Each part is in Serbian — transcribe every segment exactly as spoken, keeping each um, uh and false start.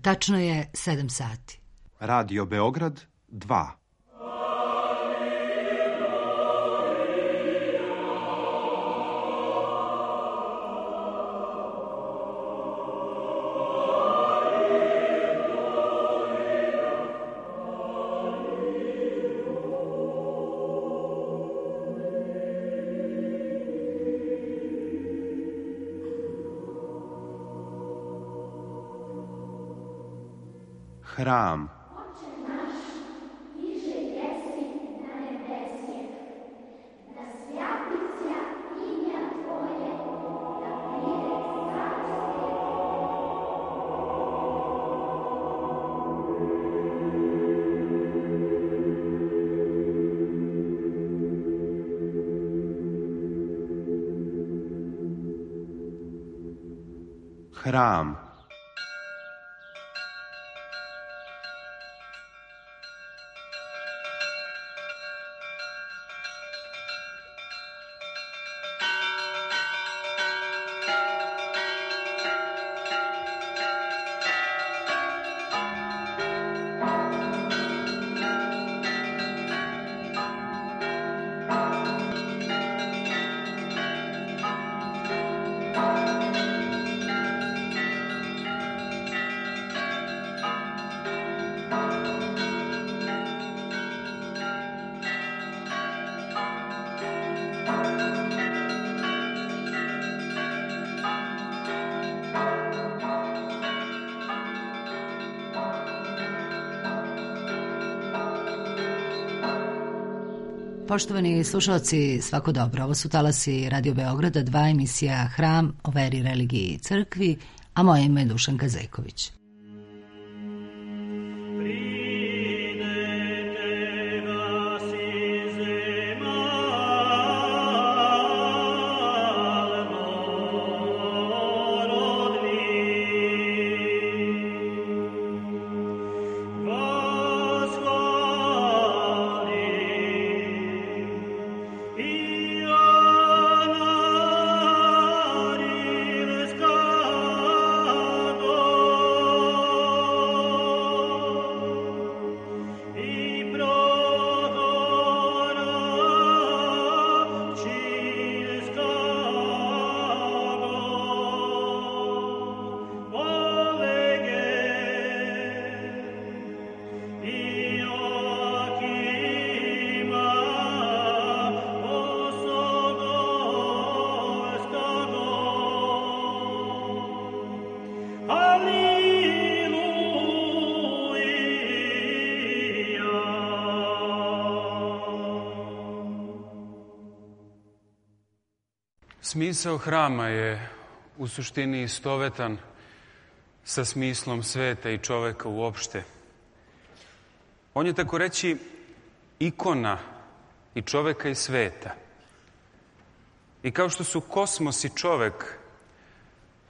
Tačno je sedam sati. Radio Beograd dva. Hram. Hram. Poštovani slušalci, svako dobro. Ovo su talasi Radio Beograda, dva, emisija Hram o veri, religiji i crkvi, a moje ime je Dušanka Zeković. Smisao hrama je u suštini istovetan sa smislom sveta i čoveka uopšte. On je, tako reći, ikona i čoveka i sveta. I kao što su kosmos i čovek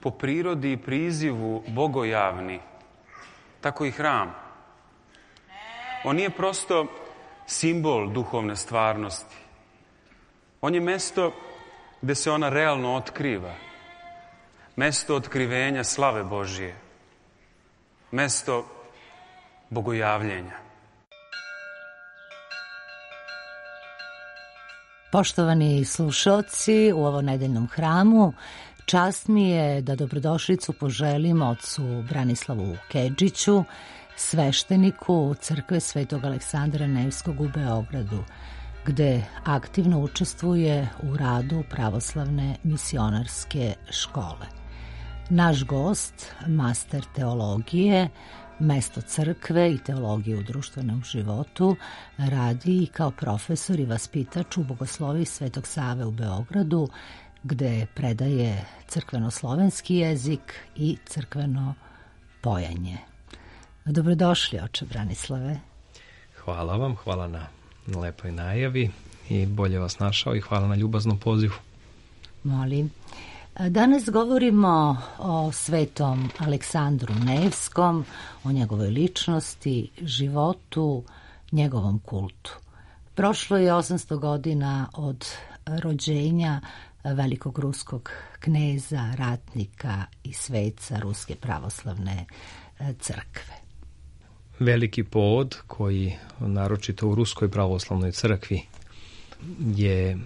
po prirodi i prizivu bogojavni, tako i hram. On nije prosto simbol duhovne stvarnosti. On je mesto gde se ona realno otkriva. Mesto otkrivenja slave Božije. Mesto bogojavljenja. Poštovani slušalci, u ovom nedeljnom hramu čast mi je da dobrodošlicu poželim ocu Branislavu Kedžiću, svešteniku Crkve Svetog Aleksandra Nevskog u Beogradu, gde aktivno učestvuje u radu pravoslavne misionarske škole. Naš gost, master teologije, mesto crkve i teologije u društvenom životu, radi i kao profesor i vaspitač u Bogosloviji Svetog Save u Beogradu, gde predaje crkveno-slovenski jezik i crkveno pojanje. Dobrodošli, oče Branislave. Hvala vam, hvala na lepoj najavi i bolje vas našao i hvala na ljubaznom pozivu. Molim. Danas govorimo o svetom Aleksandru Nevskom, o njegovoj ličnosti, životu, njegovom kultu. Prošlo je osamsto godina od rođenja velikog ruskog kneza, ratnika i sveca Ruske pravoslavne crkve. Veliki povod koji naročito u Ruskoj pravoslavnoj crkvi je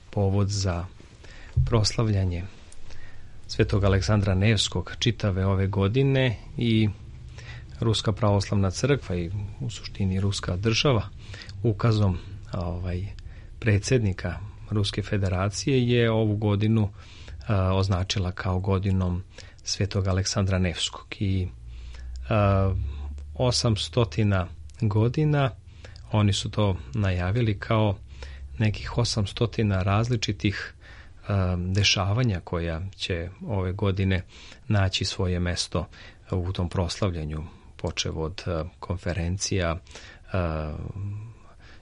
povod za proslavljanje Svetog Aleksandra Nevskog čitave ove godine i Ruska pravoslavna crkva i u suštini Ruska država ukazom ovaj, predsjednika Ruske federacije je ovu godinu a, označila kao godinom Svetog Aleksandra Nevskog i a, osamstotina godina oni su to najavili kao nekih osamstotina različitih a, dešavanja koja će ove godine naći svoje mesto u tom proslavljanju, počev od a, konferencija, a,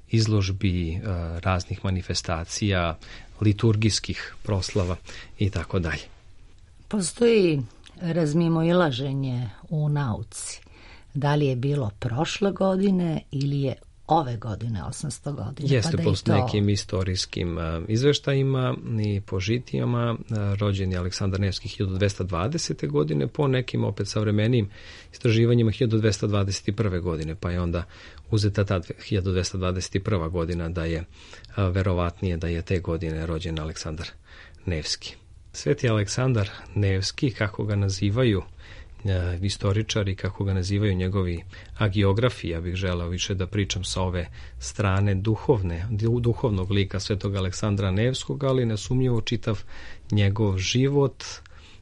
izložbi, a, raznih manifestacija, liturgijskih proslava i tako dalje. Postoji razmimoilaženje u nauci. Da li je bilo prošle godine ili je ove godine, osamsto godine? Jeste, pa po to... nekim istorijskim uh, izveštajima i po žitijama uh, rođen je Aleksandar Nevski hiljadu dvesta dvadesete. godine, po nekim opet savremenijim istraživanjima hiljadu dvesta dvadeset prve. godine, pa je onda uzeta ta hiljadu dvesta dvadeset prva. godina da je uh, verovatnije da je te godine rođen Aleksandar Nevski. Sveti Aleksandar Nevski, kako ga nazivaju E, istoričari, kako ga nazivaju njegovi agiografi, ja bih želeo više da pričam sa ove strane duhovne, duhovnog lika Svetog Aleksandra Nevskog, ali nesumnjivo čitav njegov život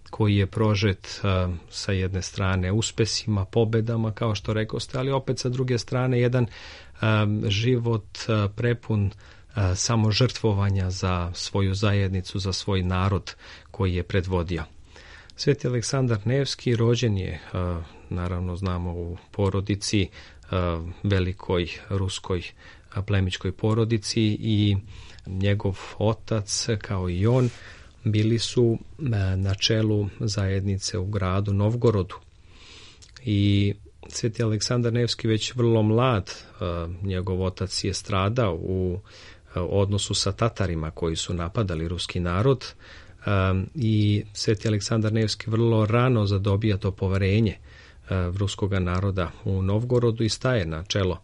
koji je prožet a, sa jedne strane uspesima, pobedama, kao što rekoste, ali opet sa druge strane jedan a, život a, prepun a, samožrtvovanja za svoju zajednicu, za svoj narod koji je predvodio. Sveti Aleksandar Nevski rođen je, naravno znamo, u porodici, velikoj ruskoj plemićkoj porodici i njegov otac kao i on bili su na čelu zajednice u gradu Novgorodu. I Sveti Aleksandar Nevski već vrlo mlad, njegov otac je stradao u odnosu sa Tatarima koji su napadali ruski narod, Um, i Sveti Aleksandar Nevski vrlo rano zadobija to poverenje uh, ruskog naroda u Novgorodu i staje na čelo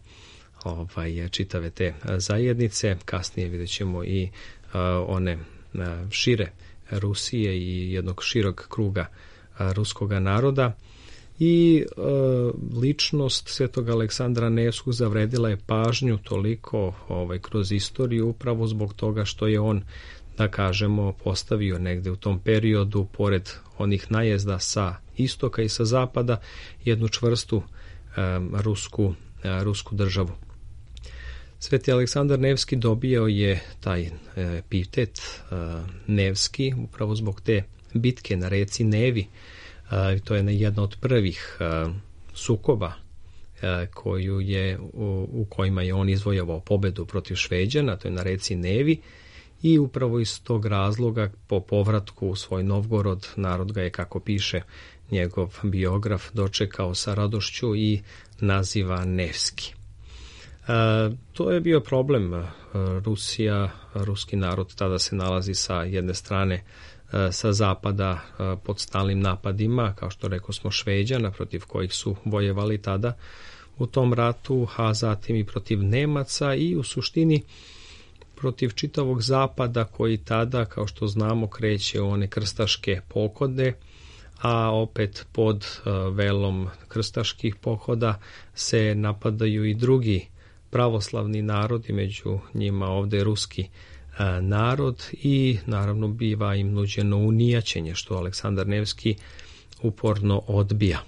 ovaj, čitave te uh, zajednice. Kasnije vidjet ćemo i uh, one uh, šire Rusije i jednog širog kruga uh, ruskog naroda. I uh, ličnost Svetog Aleksandra Nevskog zavredila je pažnju toliko ovaj, kroz istoriju upravo zbog toga što je on, da kažemo, postavio negde u tom periodu, pored onih najezda sa istoka i sa zapada, jednu čvrstu um, rusku, uh, rusku državu. Sveti Aleksandar Nevski dobio je taj uh, epitet uh, Nevski upravo zbog te bitke na reci Nevi. Uh, to je jedna od prvih uh, sukoba uh, koju je, u, u kojima je on izvojavao pobedu protiv Šveđana, to je na reci Nevi. I upravo iz tog razloga po povratku u svoj Novgorod narod ga je, kako piše njegov biograf, dočekao sa radošću i naziva Nevski. E, to je bio problem. E, Rusija, ruski narod tada se nalazi sa jedne strane e, sa zapada e, pod stalnim napadima, kao što rekao smo, Šveđana, protiv kojih su vojevali tada u tom ratu, a zatim i protiv Nemaca i u suštini protiv čitavog zapada koji tada, kao što znamo, kreće u one krstaške pohode, a opet pod uh, velom krstaških pohoda se napadaju i drugi pravoslavni narodi, među njima ovde ruski uh, narod, i naravno biva im nuđeno unijaćenje, što Aleksandar Nevski uporno odbija.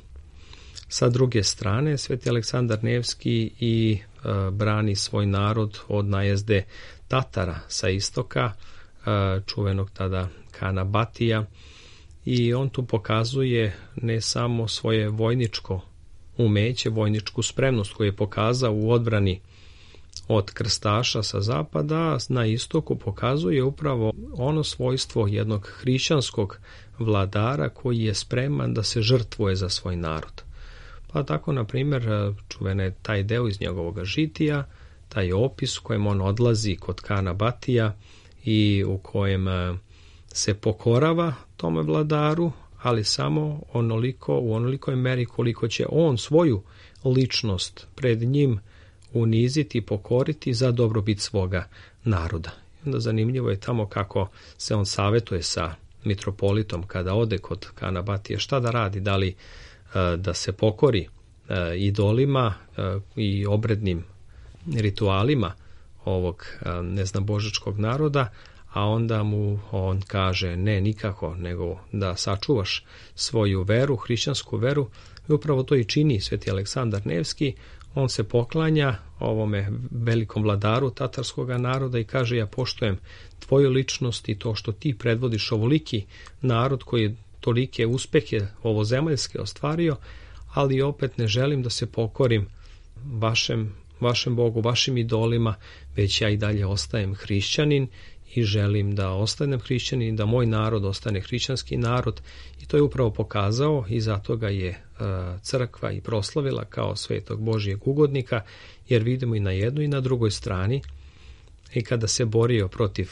Sa druge strane, Sveti Aleksandar Nevski i uh, brani svoj narod od najezde Tatara sa istoka, čuvenog tada Kana Batija, i on tu pokazuje ne samo svoje vojničko umeće, vojničku spremnost koju je pokazao u odbrani od krstaša sa zapada, na istoku pokazuje upravo ono svojstvo jednog hrišćanskog vladara koji je spreman da se žrtvuje za svoj narod. Pa tako, na primjer, čuvena je taj deo iz njegovog žitija, taj opis u kojem on odlazi kod Kana Batija i u kojem se pokorava tome vladaru, ali samo onoliko, u onolikoj meri koliko će on svoju ličnost pred njim uniziti, pokoriti za dobrobit svoga naroda. I onda zanimljivo je tamo kako se on savetuje sa mitropolitom kada ode kod Kanabatije, šta da radi, da li da se pokori idolima i obrednim ritualima ovog neznabožačkog naroda, a onda mu on kaže ne, nikako, nego da sačuvaš svoju veru, hrišćansku veru. I upravo to i čini sveti Aleksandar Nevski. On se poklanja ovome velikom vladaru tatarskog naroda i kaže ja poštujem tvoju ličnost i to što ti predvodiš ovoliki narod koji je tolike uspehe ovozemaljske ostvario, ali opet ne želim da se pokorim vašem, vašem Bogu, vašim idolima, već ja i dalje ostajem hrišćanin i želim da ostanem hrišćanin i da moj narod ostane hrišćanski narod. I to je upravo pokazao i zato ga je crkva i proslavila kao svetog Božijeg ugodnika, jer vidimo i na jednoj i na drugoj strani i kada se borio protiv,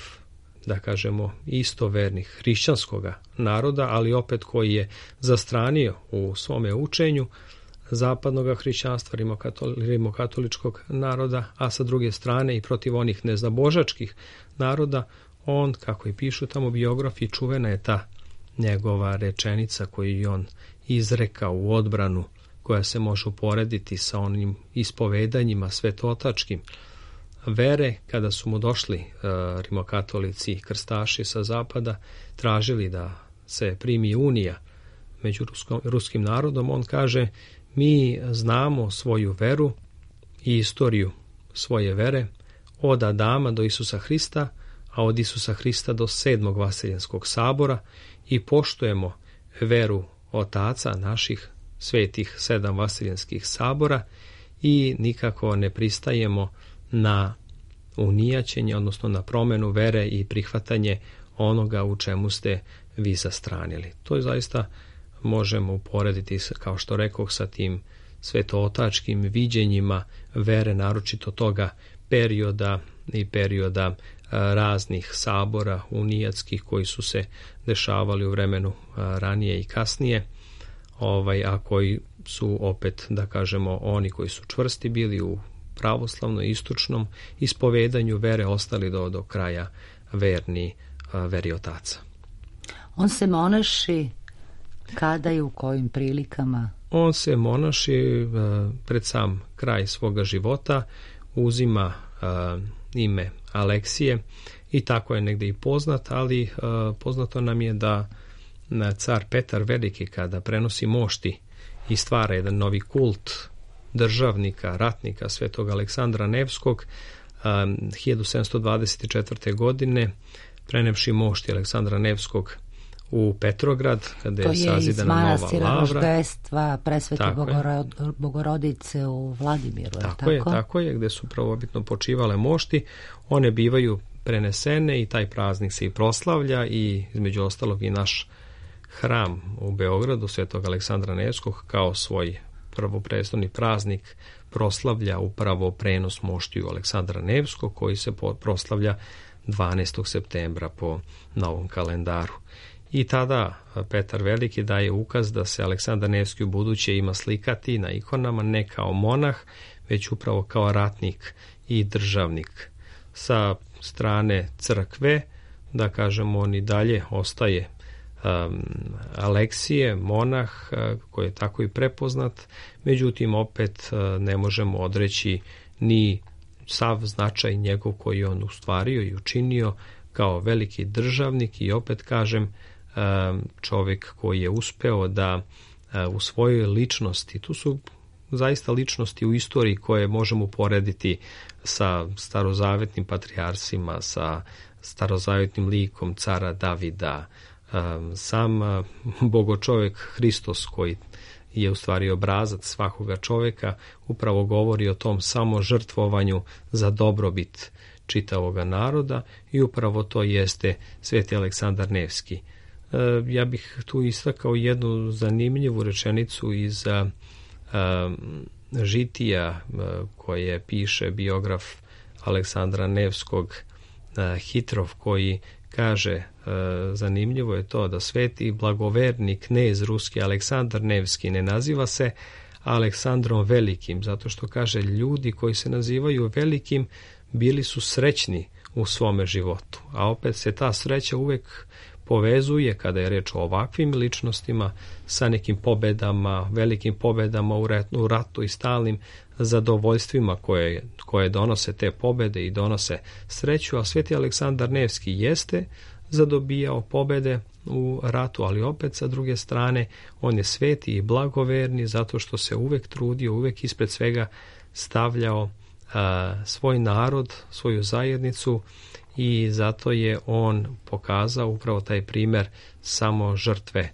da kažemo, istovernih hrišćanskoga naroda, ali opet koji je zastranio u svome učenju zapadnog hrišćanstva, rimokatoličkog naroda, a sa druge strane i protiv onih neznabožačkih naroda, on, kako i pišu tamo biografi, čuvena je ta njegova rečenica koju je on izrekao u odbranu, koja se može uporediti sa onim ispovedanjima svetotačkim vere, kada su mu došli e, rimokatolici i krstaši sa zapada, tražili da se primi unija među ruskom, ruskim narodom. On kaže, mi znamo svoju veru i istoriju svoje vere od Adama do Isusa Hrista, a od Isusa Hrista do sedmog Vaseljenskog sabora i poštujemo veru otaca naših svetih sedam Vaseljenskih sabora i nikako ne pristajemo na unijaćenje, odnosno na promenu vere i prihvatanje onoga u čemu ste vi zastranili. To je zaista možemo uporediti, kao što rekoh, sa tim svetootačkim viđenjima vere, naročito toga perioda i perioda raznih sabora unijatskih koji su se dešavali u vremenu ranije i kasnije, ovaj, a koji su opet, da kažemo, oni koji su čvrsti bili u pravoslavno istočnom ispovedanju vere ostali do, do kraja verni veri otaca. On se monaši kada i u kojim prilikama? On se monaši pred sam kraj svoga života, uzima ime Aleksije i tako je negde i poznat, ali poznato nam je da car Petar Veliki, kada prenosi mošti i stvara jedan novi kult državnika, ratnika svetog Aleksandra Nevskog, hiljadu sedamsto dvadeset četvrte. godine, prenevši mošti Aleksandra Nevskog u Petrograd, kada je sazidana nova lavra. To je iz manastira Roždestva presvete Bogorod, Bogorodice u Vladimiru. Tako, tako je, tako je, gde su prvobitno počivale mošti. One bivaju prenesene i taj praznik se i proslavlja i između ostalog i naš hram u Beogradu svetog Aleksandra Nevskog kao svoj prvoprestolni praznik proslavlja upravo prenos moštiju Aleksandra Nevskog, koji se proslavlja dvanaestog septembra po novom kalendaru. I tada Petar Veliki daje ukaz da se Aleksandar Nevski u buduće ima slikati na ikonama ne kao monah, već upravo kao ratnik i državnik. Sa strane crkve, da kažemo, on i dalje ostaje um, Aleksije, monah, uh, koji je tako i prepoznat, međutim opet uh, ne možemo odreći ni sav značaj njegov koji on ustvario i učinio kao veliki državnik i opet kažem čovjek koji je uspeo da u svojoj ličnosti, tu su zaista ličnosti u istoriji koje možemo uporediti sa starozavetnim patrijarsima, sa starozavetnim likom cara Davida, sam bogočovjek Hristos koji je u stvari obrazac svakoga čovjeka, upravo govori o tom samožrtvovanju za dobrobit čitavoga naroda i upravo to jeste sveti Aleksandar Nevski. Ja bih tu istakao jednu zanimljivu rečenicu iz a, a, žitija a, koje piše biograf Aleksandra Nevskog, a, Hitrov, koji kaže, e, zanimljivo je to da sveti blagoverni knez ruski Aleksandar Nevski ne naziva se Aleksandrom Velikim, zato što kaže ljudi koji se nazivaju velikim bili su srećni u svome životu, a opet se ta sreća uvek povezuje kada je reč o ovakvim ličnostima sa nekim pobedama, velikim pobedama u ratu, u ratu i stalnim zadovoljstvima koje, koje donose te pobede i donose sreću, a sveti Aleksandar Nevski jeste zadobijao pobede u ratu, ali opet sa druge strane on je sveti i blagoverni zato što se uvek trudio, uvek ispred svega stavljao a, svoj narod, svoju zajednicu, i zato je on pokazao upravo taj primer samo žrtve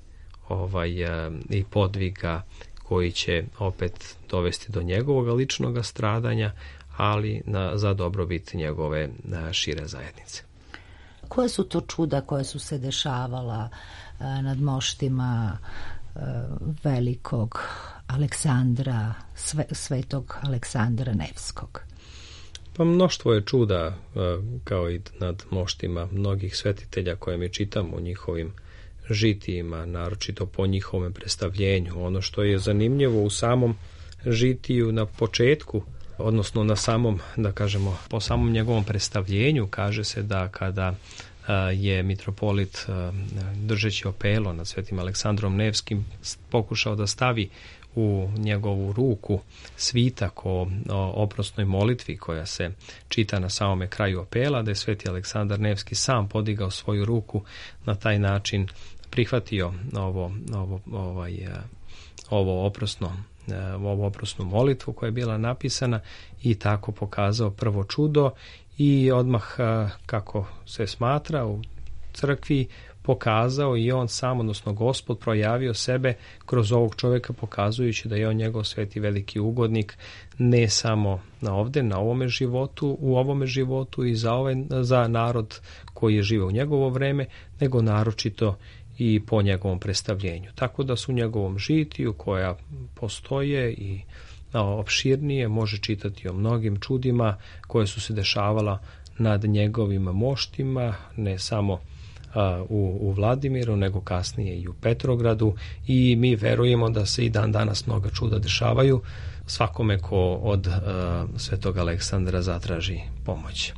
ovaj, a, i podviga koji će opet dovesti do njegovog ličnog stradanja, ali na, za dobrobit njegove a, šire zajednice. Koje su to čuda koje su se dešavala a, nad moštima a, velikog Aleksandra, sve, svetog Aleksandra Nevskog? Pa mnoštvo je čuda, kao i nad moštima mnogih svetitelja koje mi čitamo u njihovim žitijima, naročito po njihovom predstavljenju. Ono što je zanimljivo u samom žitiju na početku, odnosno na samom, da kažemo, po samom njegovom predstavljenju, kaže se da kada je mitropolit držeći opelo nad svetim Aleksandrom Nevskim pokušao da stavi u njegovu ruku svitak o, o oprosnoj molitvi koja se čita na samome kraju opela, da je sveti Aleksandar Nevski sam podigao svoju ruku, na taj način prihvatio ovo, ovo, ovaj, ovo oprosno ovu oprosnu molitvu koja je bila napisana i tako pokazao prvo čudo i odmah, kako se smatra u crkvi, pokazao i on sam, odnosno Gospod, projavio sebe kroz ovog čovjeka, pokazujući da je on njegov sveti veliki ugodnik ne samo na ovde, na ovome životu, u ovome životu i za, ovaj, za narod koji je živeo u njegovo vreme, nego naročito i po njegovom predstavljenju. Tako da su u njegovom žitiju, koja postoje i opširnije, može čitati o mnogim čudima koje su se dešavala nad njegovim moštima, ne samo U, u Vladimiru, nego kasnije i u Petrogradu, i mi verujemo da se i dan danas mnoga čuda dešavaju svakome ko od uh, svetog Aleksandra zatraži pomoć.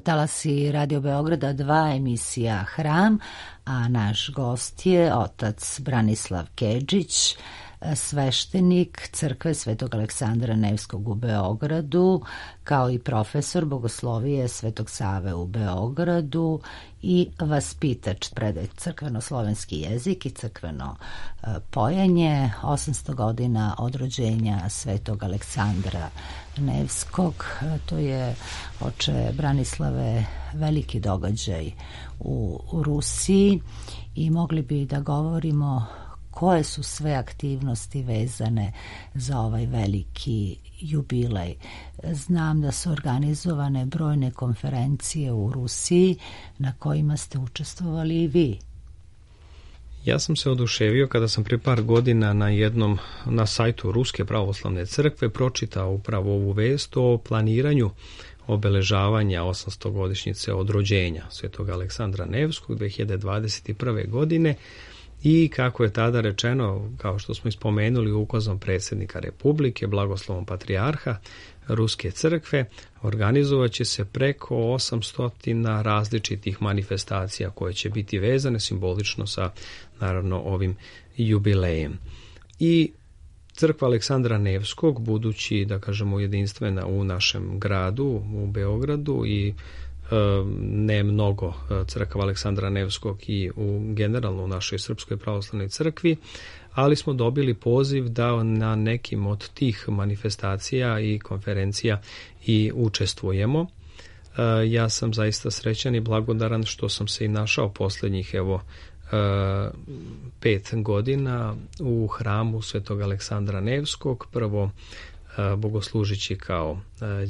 Talasi Radio Beograda dva, emisija Hram, a naš gost je otac Branislav Kedžić, sveštenik crkve Svetog Aleksandra Nevskog u Beogradu, kao i profesor bogoslovije Svetog Save u Beogradu i vaspitač, predaje crkveno-slovenski jezik i crkveno pojenje, osamsto godina od rođenja Svetog Aleksandra Nevskog. To je, oče Branislave, veliki događaj u, u Rusiji i mogli bi da govorimo koje su sve aktivnosti vezane za ovaj veliki jubilej. Znam da su organizovane brojne konferencije u Rusiji na kojima ste učestvovali i vi. Ja sam se oduševio kada sam prije par godina na jednom, na sajtu Ruske pravoslavne crkve pročitao upravo ovu vest o planiranju obeležavanja osamstogodišnjice od rođenja svetog Aleksandra Nevskog dve hiljade dvadeset prve godine, i kako je tada rečeno, kao što smo ispomenuli, ukazom predsjednika Republike, blagoslovom patrijarha Ruske crkve, organizovat će se preko osamsto različitih manifestacija koje će biti vezane simbolično sa, naravno, ovim jubilejem. I crkva Aleksandra Nevskog, budući, da kažemo, jedinstvena u našem gradu, u Beogradu, i ne mnogo crkva Aleksandra Nevskog i u generalno u našoj Srpskoj pravoslavnoj crkvi, ali smo dobili poziv da na nekim od tih manifestacija i konferencija i učestvujemo. Ja sam zaista srećan i blagodaran što sam se i našao posljednjih, evo, pet godina u hramu Svetog Aleksandra Nevskog, prvo bogoslužići kao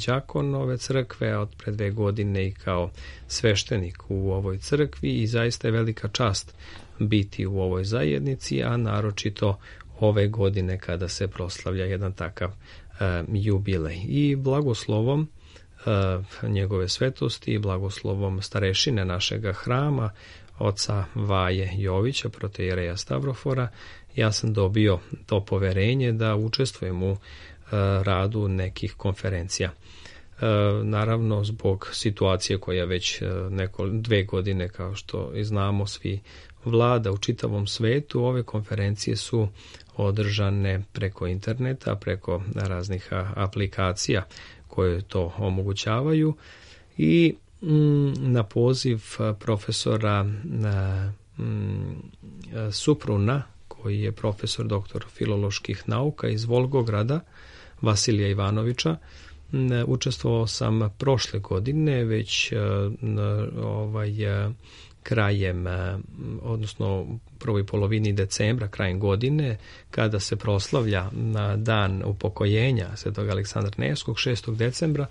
đakon ove crkve, a od pre dve godine i kao sveštenik u ovoj crkvi, i zaista je velika čast biti u ovoj zajednici, a naročito ove godine kada se proslavlja jedan takav jubilej. I blagoslovom njegove svetosti i blagoslovom starešine našega hrama, oca Vaje Jovića, protoijereja Stavrofora, ja sam dobio to poverenje da učestvujem u radu nekih konferencija. Naravno, zbog situacije koja već neko, dve godine, kao što i znamo svi, vlada u čitavom svetu, ove konferencije su održane preko interneta, preko raznih aplikacija koje to omogućavaju, i na poziv profesora Supruna, koji je profesor doktor filoloških nauka iz Volgograda, Vasilija Ivanovića, učestvovao sam prošle godine, već ovaj, krajem, odnosno prvoj polovini decembra, krajem godine, kada se proslavlja na dan upokojenja Svetog Aleksandra Nevskog, šestog decembra,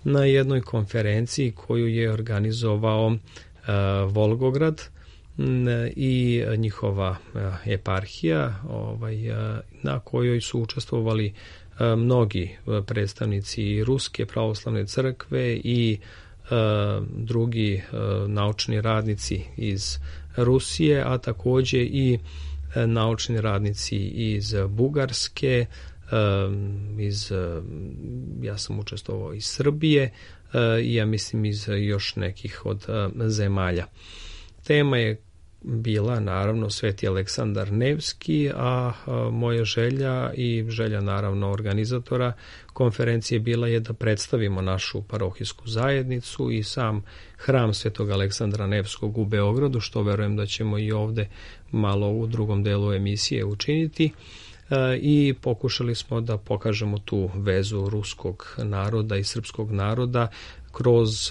na jednoj konferenciji koju je organizovao uh, Volgograd i njihova eparhija, ovaj, na kojoj su učestvovali mnogi predstavnici Ruske pravoslavne crkve i drugi naučni radnici iz Rusije, a također i naučni radnici iz Bugarske, iz, ja sam učestvovao iz Srbije i ja mislim iz još nekih od zemalja. Tema je bila naravno Sveti Aleksandar Nevski, a moja želja i želja naravno organizatora konferencije bila je da predstavimo našu parohijsku zajednicu i sam hram Svetog Aleksandra Nevskog u Beogradu, što verujem da ćemo i ovde malo u drugom delu emisije učiniti, i pokušali smo da pokažemo tu vezu ruskog naroda i srpskog naroda kroz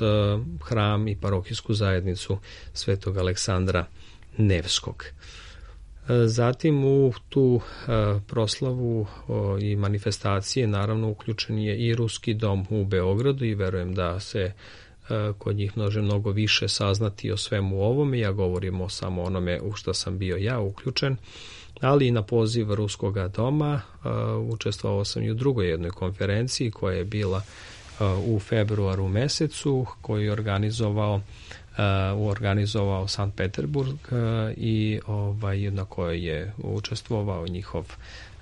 hram i parohijsku zajednicu Svetog Aleksandra Nevskog. Zatim u tu proslavu i manifestacije naravno uključen je i Ruski dom u Beogradu i verujem da se kod njih može mnogo više saznati o svemu ovome. Ja govorim samo onome u što sam bio ja uključen, ali i na poziv Ruskoga doma učestvovao sam i u drugoj jednoj konferenciji koja je bila u februaru mesecu, koju je organizovao Uh, organizovao Sankt Peterburg uh, i ovaj, na kojoj je učestvovao njihov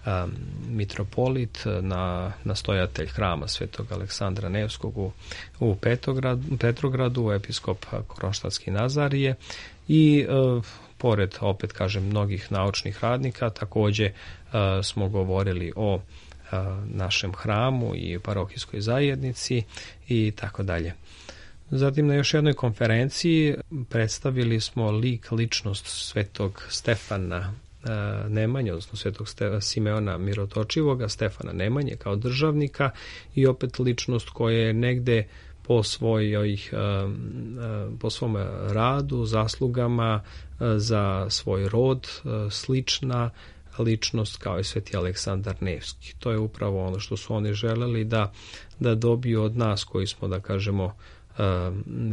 um, mitropolit, na, nastojatelj hrama Svetog Aleksandra Nevskog u, u Petrogradu, Petrogradu, episkop Kronštatski Nazarije i uh, pored, opet kažem, mnogih naučnih radnika, također uh, smo govorili o uh, našem hramu i parohijskoj zajednici i tako dalje. Zatim na još jednoj konferenciji predstavili smo lik, ličnost Svetog Stefana e, Nemanje, odnosno Svetog Ste, Simeona Mirotočivoga, Stefana Nemanje kao državnika i opet ličnost koja je negde po svojoj, e, po svom radu, zaslugama e, za svoj rod, e, slična ličnost kao i Sveti Aleksandar Nevski. To je upravo ono što su oni želeli da, da dobiju od nas koji smo, da kažemo,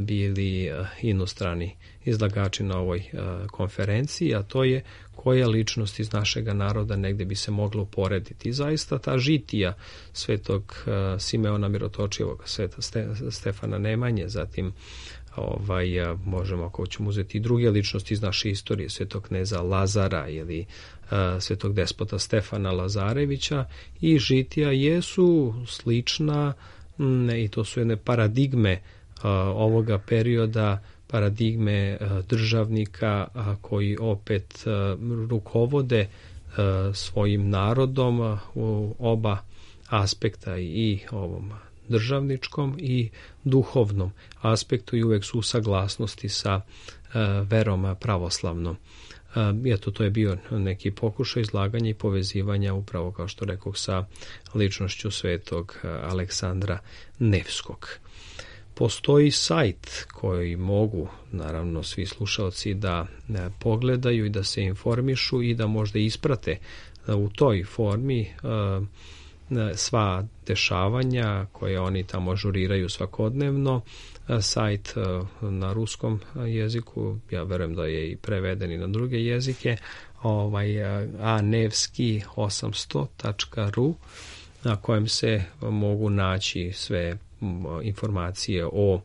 bili inostrani izlagači na ovoj konferenciji, a to je koja ličnost iz našega naroda negde bi se moglo uporediti. I zaista ta žitija Svetog Simeona Mirotočivog, Sveta Stefana Nemanje, zatim ovaj, možemo ako ćemo uzeti i druge ličnosti iz naše istorije, svetog kneza Lazara ili a, svetog despota Stefana Lazarevića, i žitija jesu slična m, i to su jedne paradigme a, ovoga perioda, paradigme a, državnika a, koji opet a, rukovode a, svojim narodom a, u oba aspekta, i ovom državničkom i duhovnom aspektu, i uvek su u saglasnosti sa uh, verom pravoslavnom. Uh, eto, to je bio neki pokušaj izlaganja i povezivanja, upravo kao što rekoh, sa ličnošću svetog Aleksandra Nevskog. Postoji sajt koji mogu, naravno, svi slušalci da uh, pogledaju i da se informišu i da možda isprate uh, u toj formi uh, sva dešavanja koje oni tamo ažuriraju svakodnevno. Sajt na ruskom jeziku, ja verujem da je i preveden i na druge jezike, ovaj, a nevski osamsto tačka ru, na kojem se mogu naći sve informacije o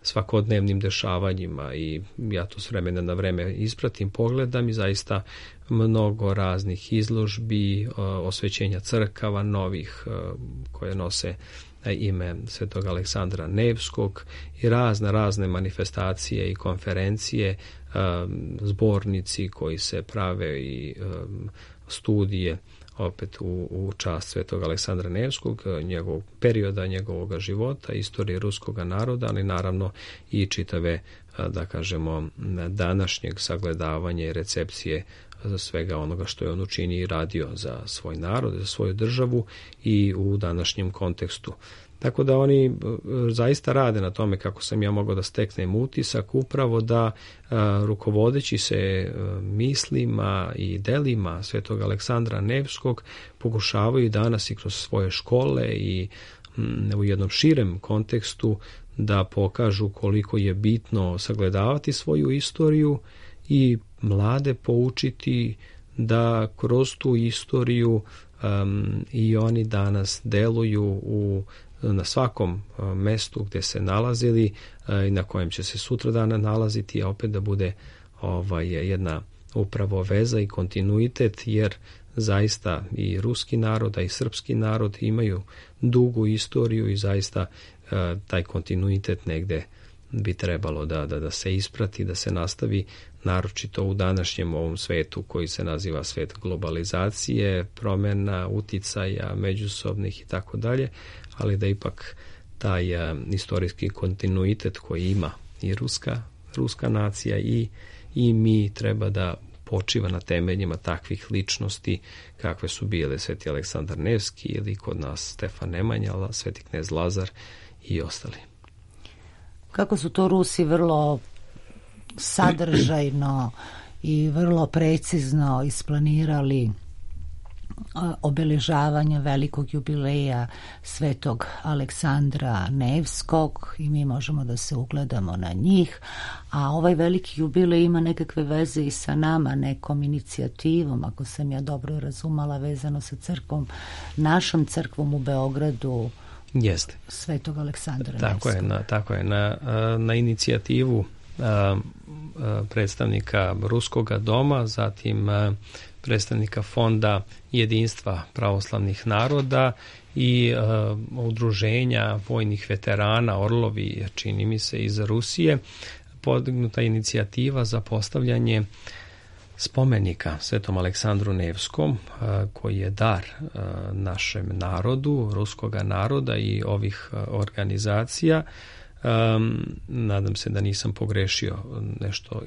svakodnevnim dešavanjima, i ja to s vremena na vreme ispratim, pogledam, i zaista mnogo raznih izložbi, osvećenja crkava novih koje nose ime svetog Aleksandra Nevskog, i razne razne manifestacije i konferencije, zbornici koji se prave, i studije opet u, u čast svetog Aleksandra Nevskog, njegovog perioda, njegovog života, istorije ruskog naroda, ali naravno i čitave, da kažemo, današnjeg sagledavanja i recepcije za svega onoga što je on učinio i radio za svoj narod, za svoju državu i u današnjem kontekstu. Tako da oni zaista rade na tome, kako sam ja mogao da steknem utisak, upravo da a, rukovodeći se a, mislima i delima svetog Aleksandra Nevskog pokušavaju danas i kroz svoje škole i m, u jednom širem kontekstu da pokažu koliko je bitno sagledavati svoju istoriju i mlade poučiti da kroz tu istoriju um, i oni danas deluju u na svakom mestu gde se nalazili i na kojem će se sutra dana nalaziti, a opet da bude ovaj, jedna upravo veza i kontinuitet, jer zaista i ruski narod, a i srpski narod imaju dugu istoriju i zaista taj kontinuitet negde bi trebalo da, da, da se isprati, da se nastavi, naročito u današnjem ovom svetu koji se naziva svet globalizacije, promjena, uticaja, međusobnih i tako dalje, ali da ipak taj uh, istorijski kontinuitet koji ima i ruska, ruska nacija i, i mi treba da počiva na temeljima takvih ličnosti kakve su bile sveti Aleksandar Nevski ili kod nas Stefan Nemanja, sveti knez Lazar i ostali. Kako su to Rusi vrlo sadržajno i vrlo precizno isplanirali obeležavanje velikog jubileja svetog Aleksandra Nevskog, i mi možemo da se ugledamo na njih, a ovaj veliki jubilej ima nekakve veze i sa nama, nekom inicijativom, ako sam ja dobro razumela, vezano sa crkvom, našom crkvom u Beogradu. Jeste. Svetog Aleksandra tako Nevskog. Je, na, tako je, na, na inicijativu a, a, predstavnika Ruskoga doma, zatim a, predstavnika Fonda jedinstva pravoslavnih naroda i a, udruženja vojnih veterana Orlovi, čini mi se, iz Rusije, podignuta inicijativa za postavljanje spomenika svetom Aleksandru Nevskom, koji je dar našem narodu, ruskoga naroda i ovih organizacija. Nadam se da nisam pogrešio nešto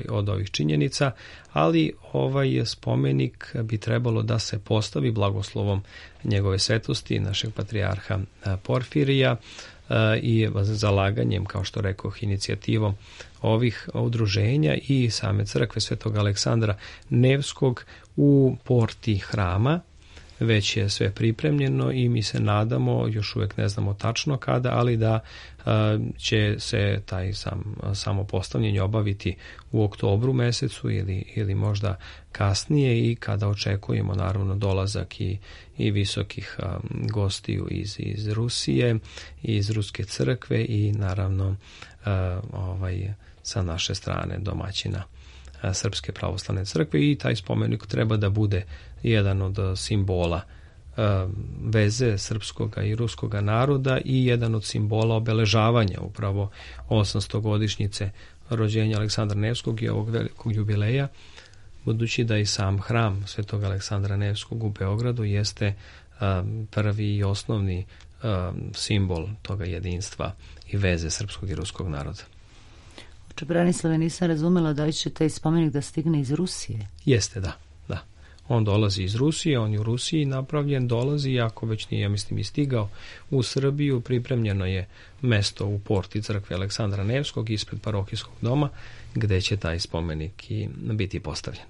od ovih činjenica, ali ovaj spomenik bi trebalo da se postavi blagoslovom njegove svetosti, našeg patrijarha Porfirija, i zalaganjem, kao što rekoh, inicijativom ovih udruženja i same crkve svetog Aleksandra Nevskog u porti hrama već je sve pripremljeno i mi se nadamo, još uvijek ne znamo tačno kada, ali da će se taj sam, samo postavljanje obaviti u oktobru mesecu ili, ili možda kasnije, i kada očekujemo naravno dolazak i, i visokih um, gostiju iz, iz Rusije, iz Ruske crkve i naravno uh, ovaj, sa naše strane domaćina uh, Srpske pravoslavne crkve, i taj spomenik treba da bude jedan od uh, simbola veze srpskog i ruskog naroda i jedan od simbola obeležavanja upravo osamstogodišnjice rođenja Aleksandra Nevskog i ovog velikog jubileja, budući da i sam hram Svetog Aleksandra Nevskog u Beogradu jeste um, prvi i osnovni um, simbol toga jedinstva i veze srpskog i ruskog naroda. Oče Branislave, nisam razumela da li će taj spomenik da stigne iz Rusije? Jeste, da. On dolazi iz Rusije, on je u Rusiji napravljen, dolazi, iako već nije, ja mislim, i stigao u Srbiju. Pripremljeno je mesto u porti crkve Aleksandra Nevskog ispred parohijskog doma, gde će taj spomenik i biti postavljen.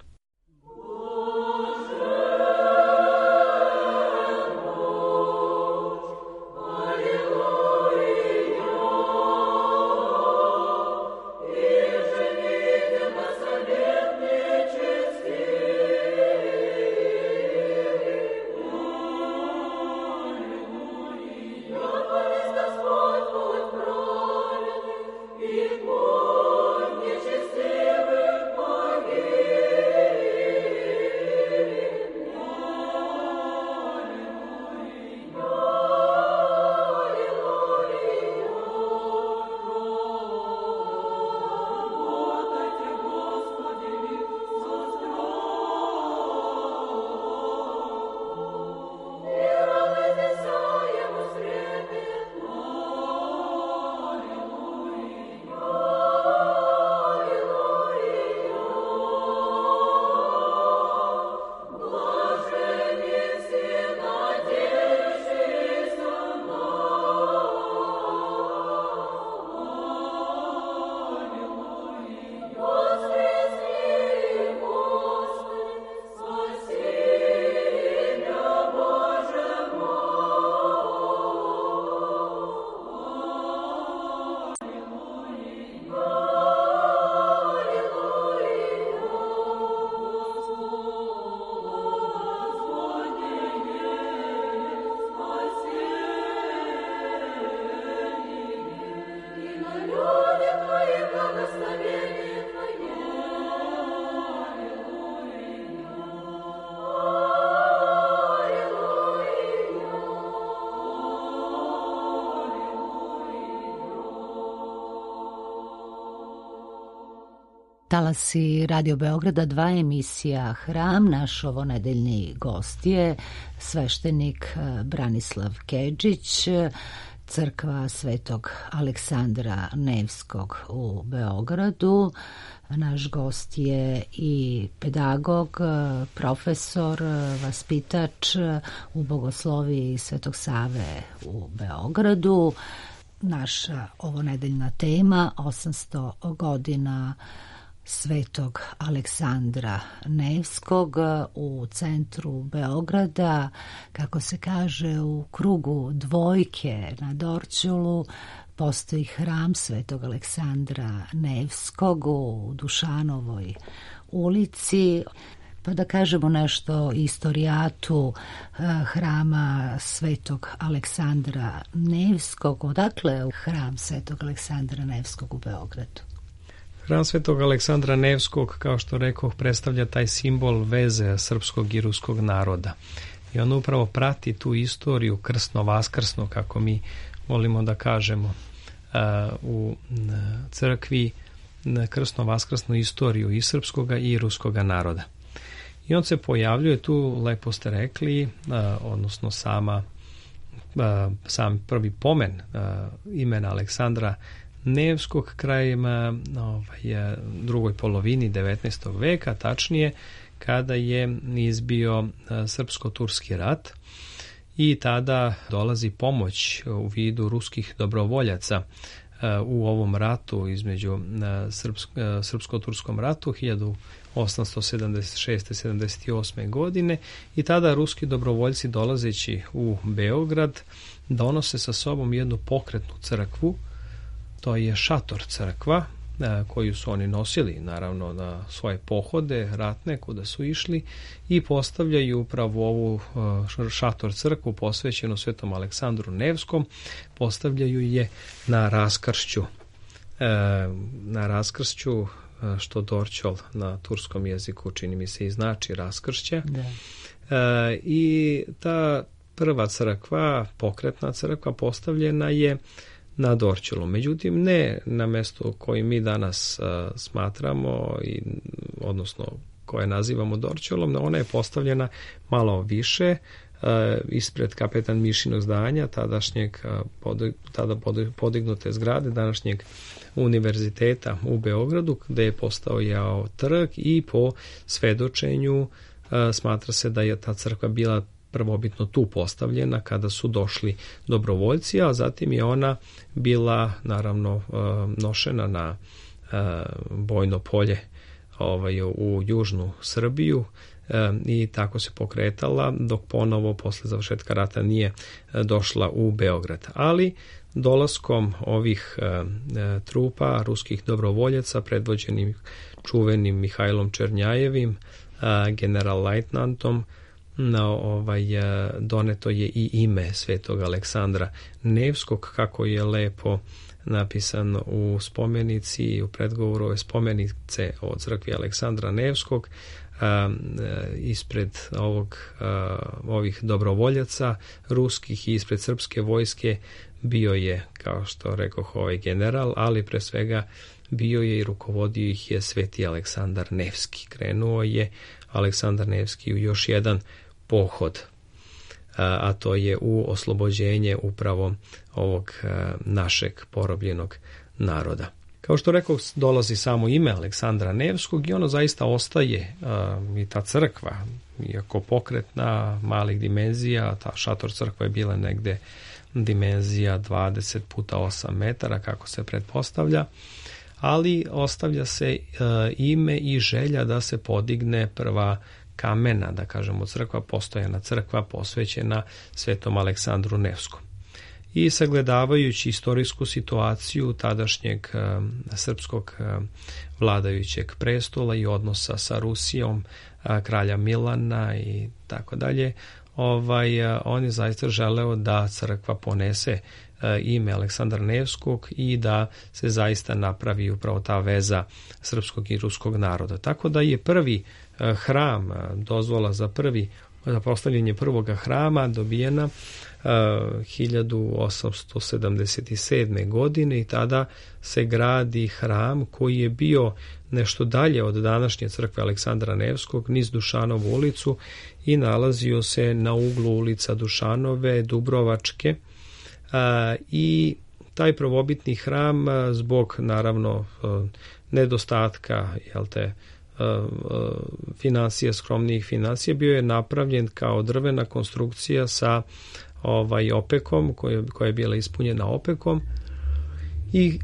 Talasi Radio Beograda, dva emisija Hram. Naš ovonedeljni gost je sveštenik Branislav Kedžić, crkva Svetog Aleksandra Nevskog u Beogradu. Naš gost je i pedagog, profesor, vaspitač u Bogosloviji Svetog Save u Beogradu. Naša ovonedeljna tema osamsto godina Svetog Aleksandra Nevskog u centru Beograda, kako se kaže, u krugu dvojke na Dorćolu postoji hram Svetog Aleksandra Nevskog u Dušanovoj ulici. Pa da kažemo nešto o istorijatu hrama Svetog Aleksandra Nevskog. Odakle je hram Svetog Aleksandra Nevskog u Beogradu? Hram Svetog Aleksandra Nevskog, kao što rekoh, predstavlja taj simbol veze srpskog i ruskog naroda. I on upravo prati tu istoriju krsno-vaskrsno, kako mi volimo da kažemo, u crkvi, krsno-vaskrsnu istoriju i srpskoga i ruskoga naroda. I on se pojavljuje tu, lepo ste rekli, odnosno sama, sam prvi pomen imena Aleksandra Nevskog krajem ovaj, drugoj polovini devetnaestog veka, tačnije kada je izbio srpsko-turski rat, i tada dolazi pomoć u vidu ruskih dobrovoljaca u ovom ratu između srpsko-turskom ratu hiljadu osamsto sedamdeset šeste sedamdeset osme godine i tada ruski dobrovoljci dolazeći u Beograd donose sa sobom jednu pokretnu crkvu, to je šator crkva koju su oni nosili naravno na svoje pohode ratne kuda su išli i postavljaju upravo ovu šator crkvu posvećenu Svetom Aleksandru Nevskom, postavljaju je na raskršću na raskršću što Dorćol na turskom jeziku čini mi se i znači raskršće. Da. I ta prva crkva, pokretna crkva postavljena je na Dorćolu. Međutim, ne na mesto koje mi danas uh, smatramo, i, odnosno koje nazivamo Dorćolom, ona je postavljena malo više, uh, ispred kapetan Mišinog zdanja, tadašnjeg, uh, pod, tada podignute zgrade, današnjeg univerziteta u Beogradu, gde je postojao trg i po svedočenju uh, smatra se da je ta crkva bila prvobitno tu postavljena kada su došli dobrovoljci, a zatim je ona bila naravno nošena na bojno polje ovaj, u južnu Srbiju i tako se pokretala dok ponovo posle završetka rata nije došla u Beograd. Ali dolaskom ovih trupa ruskih dobrovoljaca predvođenim čuvenim Mihajlom Černjajevim, general-lajtnantom, na ovaj, doneto je i ime Svetog Aleksandra Nevskog, kako je lepo napisano u spomenici i u predgovoru ove spomenice o crkvi Aleksandra Nevskog. A, ispred ovog, a, ovih dobrovoljaca ruskih i ispred srpske vojske bio je, kao što rekoh, ovaj general, ali pre svega bio je i rukovodio ih je Sveti Aleksandar Nevski. Krenuo je Aleksandar Nevski u još jedan pohod, a to je u oslobođenje upravo ovog našeg porobljenog naroda. Kao što rekao, dolazi samo ime Aleksandra Nevskog i ono zaista ostaje, i ta crkva, iako pokretna, malih dimenzija, ta šator crkva je bila negde dimenzija dvadeset puta osam metara, kako se pretpostavlja, ali ostavlja se ime i želja da se podigne prva kamena, da kažemo, crkva, postojana crkva posvećena Svetom Aleksandru Nevskom. I sagledavajući istorijsku situaciju tadašnjeg uh, srpskog uh, vladajućeg prestola i odnosa sa Rusijom, uh, kralja Milana i tako dalje, ovaj, uh, on je zaista želeo da crkva ponese uh, ime Aleksandra Nevskog i da se zaista napravi upravo ta veza srpskog i ruskog naroda. Tako da je prvi hram, dozvola za prvi za postavljanje prvoga hrama dobijena uh, hiljadu osamsto sedamdeset sedme. godine i tada se gradi hram koji je bio nešto dalje od današnje crkve Aleksandra Nevskog, niz Dušanovu ulicu i nalazio se na uglu ulica Dušanove, Dubrovačke uh, i taj prvobitni hram zbog naravno uh, nedostatka, jel te, financija, skromnijih financija, bio je napravljen kao drvena konstrukcija sa ovaj opekom, koja, koja je bila ispunjena opekom i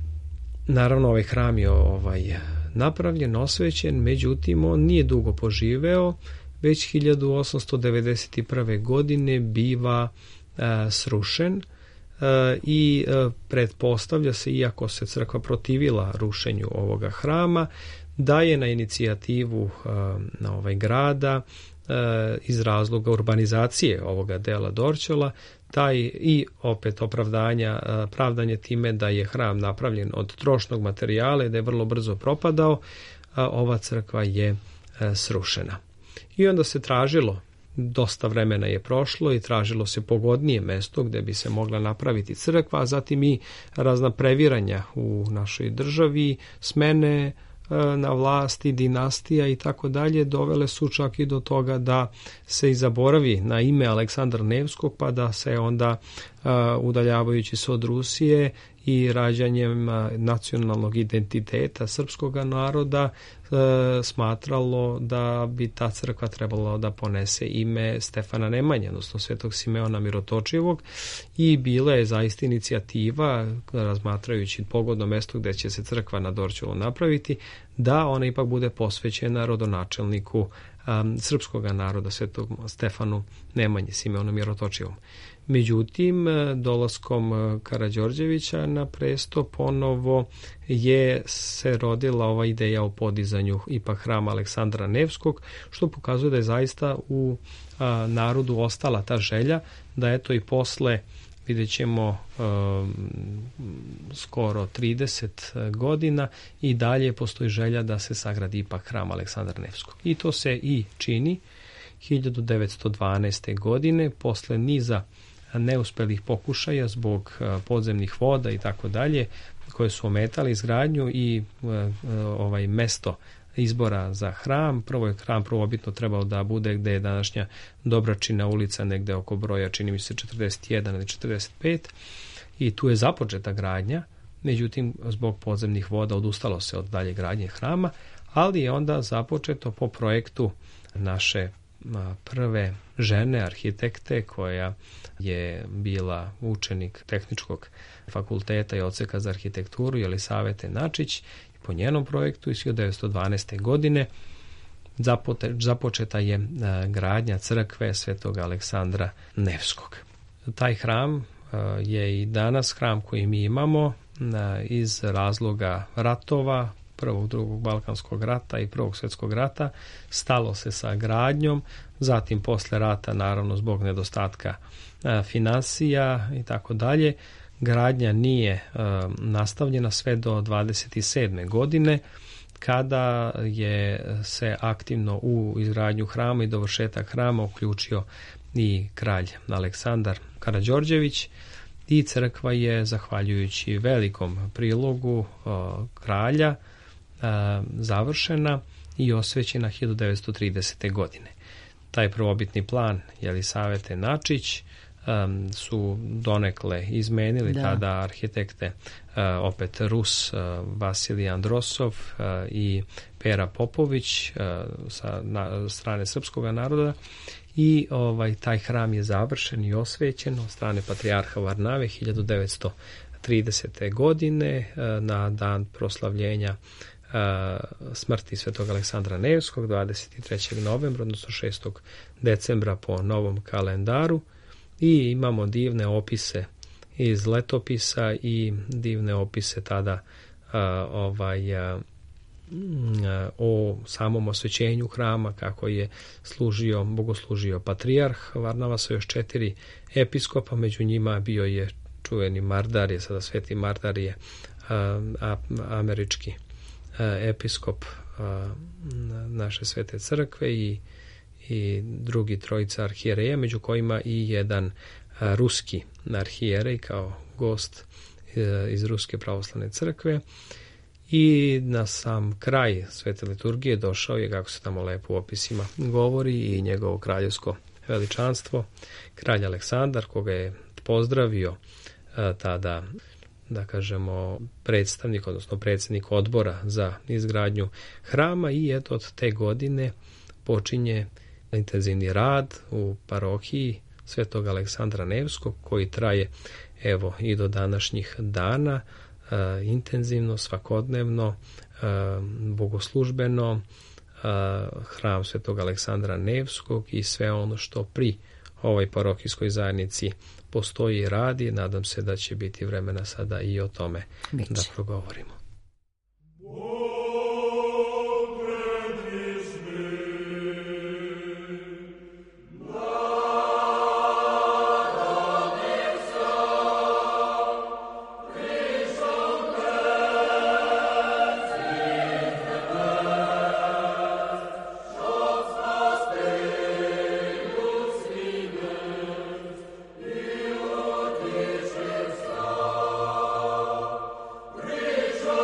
naravno ovaj hram je ovaj napravljen, osvećen, međutim on nije dugo poživeo, već hiljadu osamsto devedeset prve. godine biva a, srušen a, i a, pretpostavlja se, iako se crkva protivila rušenju ovoga hrama, da je na inicijativu uh, na ovaj grada uh, iz razloga urbanizacije ovoga dela Dorćola, taj i opet opravdanja, uh, pravdanje time da je hram napravljen od trošnog materijala i da je vrlo brzo propadao, uh, ova crkva je uh, srušena. I onda se tražilo, dosta vremena je prošlo i tražilo se pogodnije mesto gde bi se mogla napraviti crkva, a zatim i razna previranja u našoj državi, smene na vlasti, dinastija i tako dalje, dovele su čak i do toga da se i zaboravi na ime Aleksandra Nevskog, pa da se onda udaljavajući se od Rusije i rađanjem nacionalnog identiteta srpskog naroda, smatralo da bi ta crkva trebala da ponese ime Stefana Nemanje, odnosno Svetog Simeona Mirotočivog, i bila je zaista inicijativa, razmatrajući pogodno mesto gde će se crkva na Dorćolu napraviti, da ona ipak bude posvećena rodonačelniku um, srpskog naroda, Svetog Stefanu Nemanje, Simeonu Mirotočivom. Međutim, dolaskom Karađorđevića na presto ponovo je se rodila ova ideja o podizanju ipak hrama Aleksandra Nevskog, što pokazuje da je zaista u a, narodu ostala ta želja da eto i posle, vidjet ćemo, um, skoro trideset godina i dalje postoji želja da se sagradi ipak hram Aleksandra Nevskog. I to se i čini hiljadu devetsto dvanaeste. godine, posle niza neuspelih pokušaja zbog podzemnih voda i tako dalje, koje su ometali izgradnju i ovaj mesto izbora za hram. Prvo je hram prvobitno trebao da bude gde je današnja Dobračina ulica, negde oko broja, čini mi se, četrdeset jedan ili četrdeset pet, i tu je započeta gradnja. Međutim, zbog podzemnih voda odustalo se od dalje gradnje hrama, ali je onda započeto po projektu naše prve žene arhitekte, koja je bila učenik Tehničkog fakulteta i odseka za arhitekturu, Jelisavete Načić. I po njenom projektu iz hiljadu devetsto dvanaeste. godine započeta je gradnja crkve Svetog Aleksandra Nevskog. Taj hram je i danas hram koji mi imamo iz razloga ratova, prvog, drugog Balkanskog rata i prvog svjetskog rata. Stalo se sa gradnjom, zatim posle rata, naravno zbog nedostatka a, finansija i tako dalje, gradnja nije a, nastavljena sve do dvadeset sedme. godine, kada je se aktivno u izgradnju hrama i dovršetak hrama uključio i kralj Aleksandar Karađorđević, i crkva je, zahvaljujući velikom prilogu a, kralja, a, završena i osvećena hiljadu devetsto tridesete. godine. Taj prvobitni plan Jelisavete Načić um, su donekle izmenili da. tada arhitekte, uh, opet Rus, uh, Vasilij Androsov uh, i Pera Popović uh, sa na, strane srpskog naroda, i ovaj taj hram je završen i osvećen od strane patrijarha Varnave hiljadu devetsto tridesete. godine uh, na dan proslavljenja smrti Svetog Aleksandra Nevskog, dvadeset trećeg novembra, odnosno šestog decembra po novom kalendaru. I imamo divne opise iz letopisa i divne opise tada a, ovaj, a, a, o samom osvećenju hrama, kako je služio, bogoslužio patrijarh Varnava sa još četiri episkopa, među njima bio je čuveni Mardarije, sada sveti Mardarije, a, a, američki episkop naše svete crkve, i, i drugi trojica arhijereja, među kojima i jedan ruski arhijerej kao gost iz Ruske pravoslavne crkve. I na sam kraj svete liturgije došao je, kako se tamo lepo u opisima govori, i njegovo kraljevsko veličanstvo, kralj Aleksandar, koga je pozdravio tada, da kažemo, predstavnik, odnosno predsjednik odbora za izgradnju hrama. I eto, od te godine počinje intenzivni rad u parohiji Svetog Aleksandra Nevskog, koji traje evo i do današnjih dana, e, intenzivno, svakodnevno, e, bogoslužbeno, e, hram Svetog Aleksandra Nevskog i sve ono što pri ovoj parohijskoj zajednici postoji i radi. Nadam se da će biti vremena sada i o tome Biće. da progovorimo. Rejoice!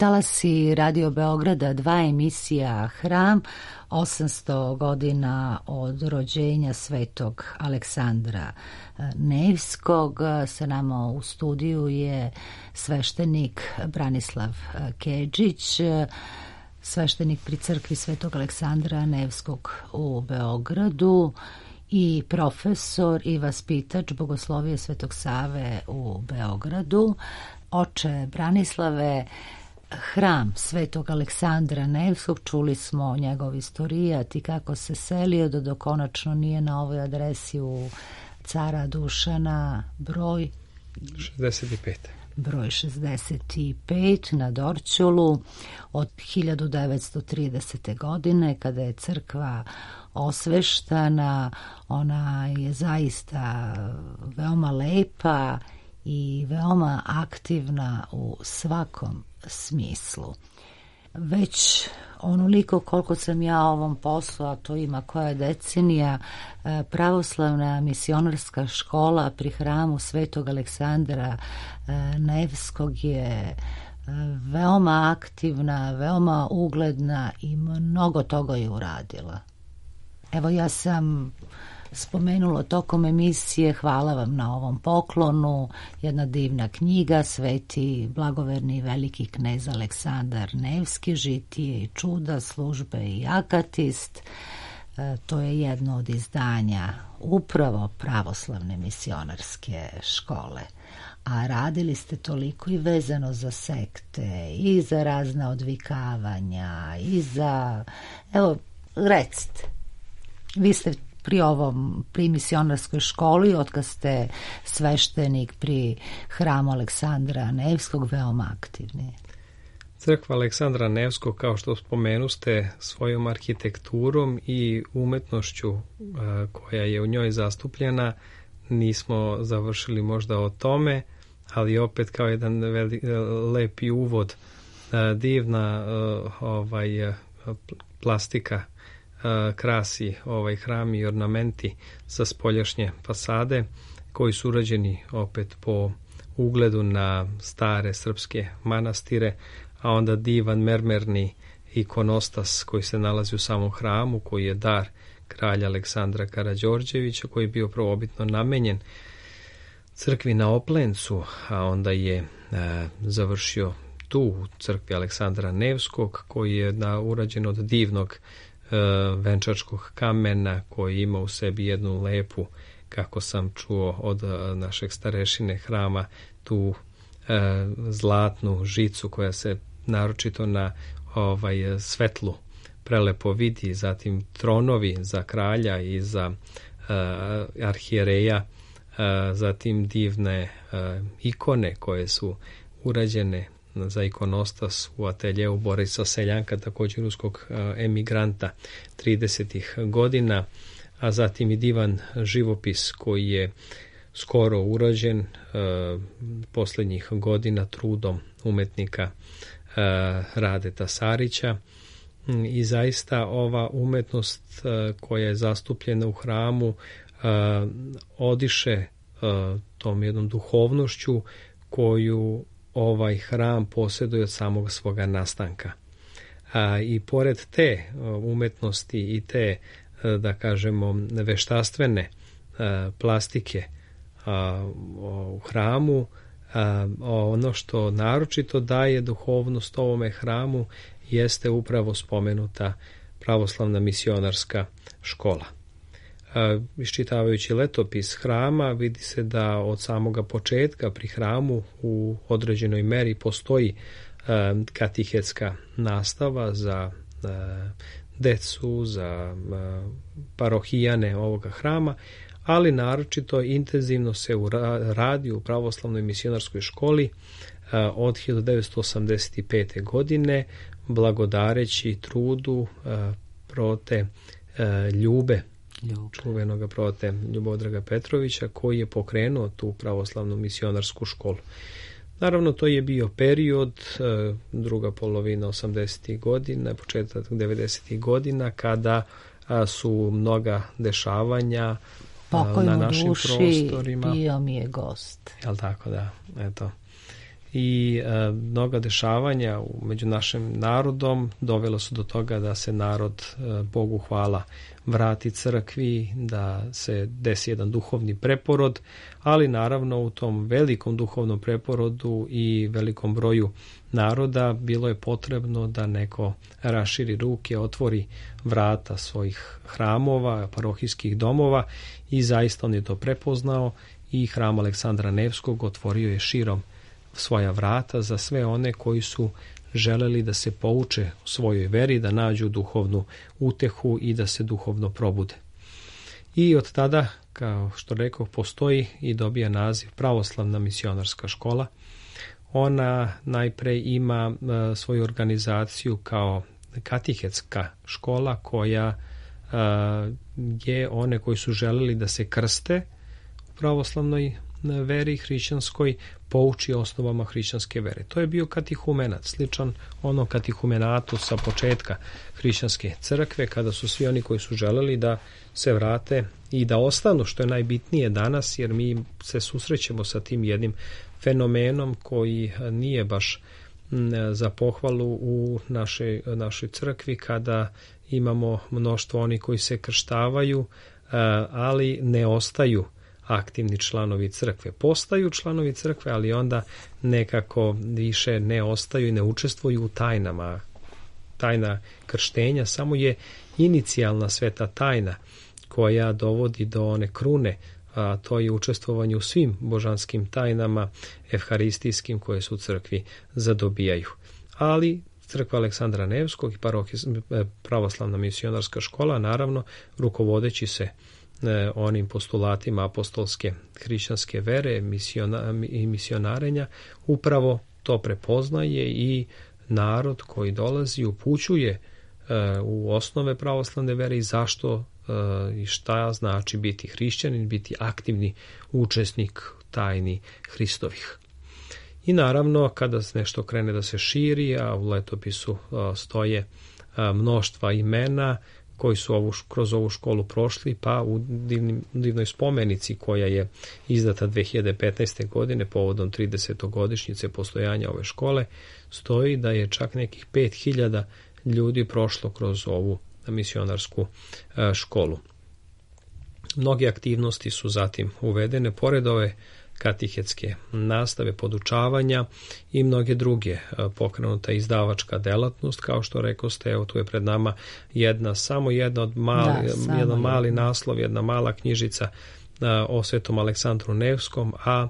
Talasi Radio Beograda, dva emisija Hram, osamsto godina od rođenja svetog Aleksandra Nevskog. Sa nama u studiju je sveštenik Branislav Kedžić, sveštenik pri crkvi svetog Aleksandra Nevskog u Beogradu i profesor i vaspitač Bogoslovije Svetog Save u Beogradu. Oče Branislave, Hram svetog Aleksandra Nevskog, čuli smo njegov istorijat i kako se selio do dok konačno nije na ovoj adresi u Cara Dušana broj šezdeset pet. Broj šezdeset pet na Dorćolu od hiljadu devetsto tridesete. godine, kada je crkva osveštana. Ona je zaista veoma lepa i veoma aktivna u svakom smislu. Već onoliko koliko sam ja ovom poslu, a to ima koja decenija, pravoslavna misionarska škola pri hramu svetog Aleksandra Nevskog je veoma aktivna, veoma ugledna i mnogo toga je uradila. Evo, ja sam spomenula tokom emisije, hvala vam na ovom poklonu, jedna divna knjiga, Sveti blagoverni veliki knez Aleksandar Nevski, žitije i čuda, službe i akatist. E, to je jedno od izdanja upravo pravoslavne misionarske škole. A radili ste toliko i vezano za sekte, i za razna odvikavanja, i za... Evo, recite, vi ste pri ovom, pri misionarskoj školi, otkad ste sveštenik pri hramu Aleksandra Nevskog, veoma aktivni. Crkva Aleksandra Nevskog, kao što spomenuste, svojom arhitekturom i umetnošću a, koja je u njoj zastupljena, nismo završili možda o tome, ali opet kao jedan veli, lepi uvod, a, divna a, ovaj, a, plastika krasi ovaj hram i ornamenti sa spoljašnje fasade, koji su urađeni opet po ugledu na stare srpske manastire, a onda divan mermerni ikonostas koji se nalazi u samom hramu, koji je dar kralja Aleksandra Karađorđevića, koji je bio prvobitno namenjen crkvi na Oplencu, a onda je e, završio tu u crkvi Aleksandra Nevskog, koji je da, urađen od divnog venčačkog kamena, koji ima u sebi jednu lepu, kako sam čuo od našeg starešine hrama, tu e, zlatnu žicu koja se naročito na ovaj svetlu prelepo vidi, zatim tronovi za kralja i za e, arhijereja, e, zatim divne e, ikone koje su urađene za ikonostas u ateljeu Borisa Seljanka, također ruskog emigranta tridesetih godina, a zatim i divan živopis koji je skoro urađen e, posljednjih godina trudom umetnika e, Radeta Sarića. I zaista ova umetnost e, koja je zastupljena u hramu e, odiše e, tom jednom duhovnošću koju ovaj hram posjeduje od samog svoga nastanka. A, i pored te umetnosti i te, da kažemo, veštastvene a, plastike a, u hramu, a, ono što naročito daje duhovnost ovome hramu jeste upravo spomenuta pravoslavna misionarska škola. Iščitavajući letopis hrama, vidi se da od samoga početka pri hramu u određenoj meri postoji katehetska nastava za decu, za parohijane ovoga hrama, ali naročito intenzivno se radi u pravoslavnoj misionarskoj školi od hiljadu devetsto osamdeset pete. godine, blagodareći trudu prote Ljube, Ljube. čuvenog prote Ljubodraga Petrovića, koji je pokrenuo tu pravoslavnu misionarsku školu. Naravno, to je bio period, druga polovina osamdesetih godina, početak devedesetih godina, kada su mnoga dešavanja Pokojno na našim duši, prostorima. Bio mi je gost. Jel tako, da, eto. i e, mnoga dešavanja među našim narodom dovelo su do toga da se narod, e, Bogu hvala, vrati crkvi, da se desi jedan duhovni preporod, ali naravno u tom velikom duhovnom preporodu i velikom broju naroda bilo je potrebno da neko raširi ruke, otvori vrata svojih hramova, parohijskih domova i zaista on je to prepoznao i hram Aleksandra Nevskog otvorio je širom svoja vrata za sve one koji su želeli da se pouče u svojoj veri, da nađu duhovnu utehu i da se duhovno probude. I od tada, kao što rekao, postoji i dobija naziv Pravoslavna misionarska škola. Ona najpre ima uh, svoju organizaciju kao katehetska škola koja uh, je one koji su želeli da se krste u pravoslavnoj veri hrišćanskoj, pouči osnovama hrišćanske vere. To je bio katehumenat, sličan onom katehumenatu sa početka hrišćanske crkve, kada su svi oni koji su želeli da se vrate i da ostanu, što je najbitnije danas, jer mi se susrećemo sa tim jednim fenomenom koji nije baš za pohvalu u našoj, našoj crkvi, kada imamo mnoštvo oni koji se krštavaju, ali ne ostaju aktivni članovi crkve. Postaju članovi crkve, ali onda nekako više ne ostaju i ne učestvuju u tajnama. Tajna krštenja samo je inicijalna sveta tajna koja dovodi do one krune, a to je učestvovanje u svim božanskim tajnama evharistijskim koje su u crkvi zadobijaju. Ali crkva Aleksandra Nevskog i parohij, pravoslavna misionarska škola, naravno, rukovodeći se onim postulatima apostolske hrišćanske vere misiona, i misionarenja, upravo to prepoznaje i narod koji dolazi upućuje e, u osnove pravoslavne vere i zašto e, i šta znači biti hrišćanin, biti aktivni učesnik tajni Hristovih. I naravno, kada nešto krene da se širi, a u letopisu a, stoje a, mnoštva imena koji su ovu, kroz ovu školu prošli, pa u divnim, divnoj spomenici koja je izdata dve hiljade petnaeste. godine povodom tridesetogodišnjice postojanja ove škole, stoji da je čak nekih pet hiljada ljudi prošlo kroz ovu misionarsku a, školu. Mnoge aktivnosti su zatim uvedene, pored ove katehetske nastave, podučavanja i mnoge druge. Pokrenuta izdavačka delatnost, kao što rekoste, evo tu je pred nama jedna, samo jedna od mali, da, jedan mali jedna. naslov, jedna mala knjižica o Svetom Aleksandru Nevskom, a